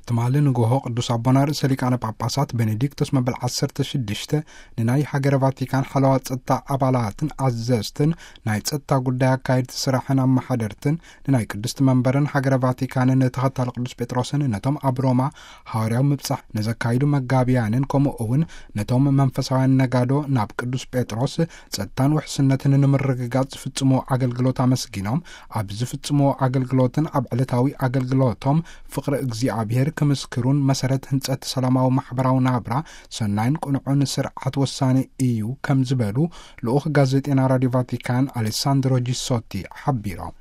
ትማሊ ንጎሆ ቅዱስ ኣቦና ርእሰ ሊቃነ ጳጳሳት ቤኔዲክቶስ መበል ዓሰርተ ሽዱሽተ ንናይ ሃገረ ቫቲካን ሓለዋ ጸጥታ ኣባላትን ኣዘዝትን፣ ናይ ጸጥታ ጉዳይ ኣካየድቲ ስራሕን ኣመሓደርትን፣ ንናይ ቅድስቲ መንበርን ሃገረ ቫቲካንን ተኸታሊ ቅዱስ ጴጥሮስን፣ ነቶም ኣብ ሮማ ሃዋርያዊ ምብጻሕ ንዘካይዱ መጋቢያንን፣ ከምኡ እውን ነቶም መንፈሳውያን ነጋዶ ናብ ቅዱስ ጴጥሮስ ጸጥታን ውሕስነትን ንምርግጋጽ ዝፍጽሞ ኣገልግሎት ኣመስጊኖም፣ ኣብ ዝፍጽሞ ኣገልግሎትን ኣብ ዕለታዊ ኣገልግሎቶም ፍቕሪ እግዚኣብሔር ክምስክሩን መሰረት ህንጸት ሰላማዊ ማሕበራዊ ናብራ ሰናይን ቅኑዕን ስርዓት ወሳኒ እዩ ከም ዝበሉ ልኡኽ ጋዜጤና ራዲዮ ቫቲካን ኣሌሳንድሮ ጂሶቲ ሓቢሮም።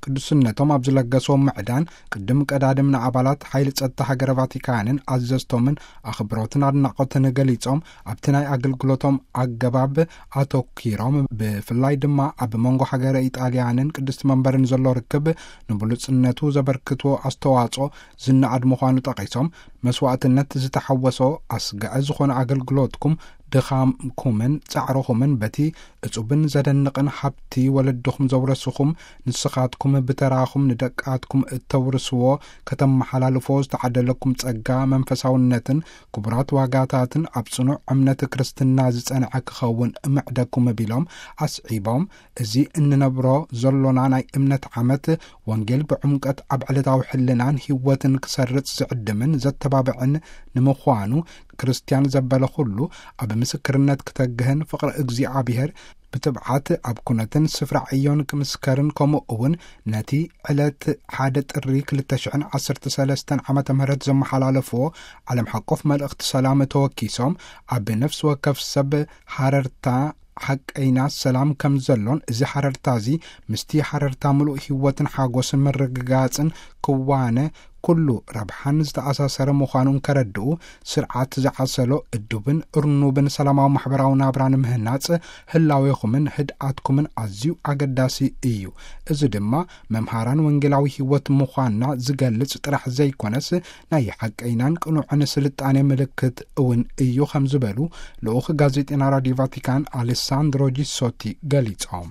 ቅዱስነቶም ኣብ ዝለገስዎ ምዕዳን ቅድም ቀዳድም ንኣባላት ሓይሊ ጸጥታ ሃገረ ቫቲካንን ኣዘዝቶምን ኣኽብሮትን ኣድናቖትን ገሊጾም፣ ኣብቲ ናይ ኣገልግሎቶም ኣገባብ ኣተኪሮም፣ ብፍላይ ድማ ኣብ መንጎ ሃገረ ኢጣልያንን ቅድስቲ መንበርን ዘሎ ርክብ ንብሉጽነቱ ዘበርክትዎ ኣስተዋጽኦ ዝነኣድ ምዃኑ ጠቒሶም፣ መስዋእትነት ዝተሓወሶ ኣስጋኢ ዝኾነ ኣገልግሎትኩም፣ ድኻምኩምን ጻዕርኹምን በቲ እጹብን ዘደንቕን ሃብቲ ወለድኹም ዘውረስኹም፣ ንስኻትኩም ብተራኹም ንደቃትኩም እተውርስዎ፣ ከተመሓላልፎ ዝተዓደለኩም ጸጋ መንፈሳውነትን ክቡራት ዋጋታትን ኣብ ጽኑዕ እምነት ክርስትና ዝጸንዐ ክኸውን ምዕደኩም ቢሎም ኣስዒቦም፣ እዚ እንነብሮ ዘሎና ናይ እምነት ዓመት ወንጌል ብዕምቀት ኣብ ዕለታዊ ሕልናን ህይወትን ክሰርጽ ዝዕድምን ዘተባብዕን ንምዃኑ፣ ክርስትያን ዘበለ ኩሉ ኣብ ምስክርነት ክተግህን ፍቕሪ እግዚኣብሔር ብትብዓት ኣብ ኩነትን ስፍራ ዕዮን ክምስከርን፣ ከምኡ እውን ነቲ ዕለት ሓደ ጥሪ ክልተ ሽሕን ዓሰርተ ሰለስተን ዓመተ ምህረት ዘመሓላለፍዎ ዓለም ሓቆፍ መልእኽቲ ሰላም ተወኪሶም፣ ኣብ ነፍሲ ወከፍ ሰብ ሃረርታ ሓቀይና ሰላም ከም ዘሎን፣ እዚ ሓረርታ እዚ ምስቲ ሓረርታ ምሉእ ህይወትን ሓጎስን ምርግጋጽን ክዋነ ኩሉ ረብሓን ዝተኣሳሰረ ምዃኑ እንከረድኡ፣ ስርዓት ዝዓሰሎ እዱብን እርኑብን ሰላማዊ ማሕበራዊ ናብራ ንምህናጽ ህላዌኹምን ህድኣትኩምን ኣዝዩ ኣገዳሲ እዩ። እዚ ድማ መምሃራን ወንጌላዊ ህይወት ምዃንና ዝገልጽ ጥራሕ ዘይኮነስ፣ ናይ ሓቀይናን ቅኑዕን ስልጣኔ ምልክት እውን እዩ ከም ዝበሉ ልኡኽ ጋዜጤና ራዲዮ ቫቲካን ኣሌሳንድሮ ጂሶቲ ገሊጾም።